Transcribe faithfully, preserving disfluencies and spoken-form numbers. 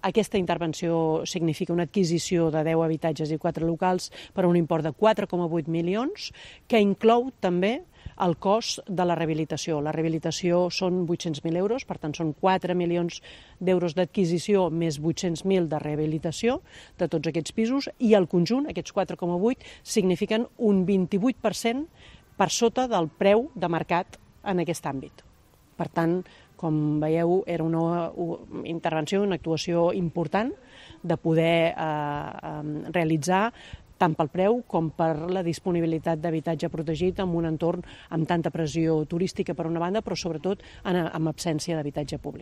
Aquesta intervenció significa una adquisició de deu habitatges i quatre locals per un import de quatre coma vuit milions, que inclou també el cost de la rehabilitació. La rehabilitació són vuit-cents mil euros, per tant són quatre milions d'euros d'adquisició més vuit-cents mil de rehabilitació de tots aquests pisos, i el conjunt, aquests quatre coma vuit, signifiquen un vint-i-vuit per cent per sota del preu de mercat en aquest àmbit. Per tant, com veieu, era una intervenció, una actuació important de poder eh, realitzar tant pel preu com per la disponibilitat d'habitatge protegit en un entorn amb tanta pressió turística per una banda, però sobretot amb absència d'habitatge públic.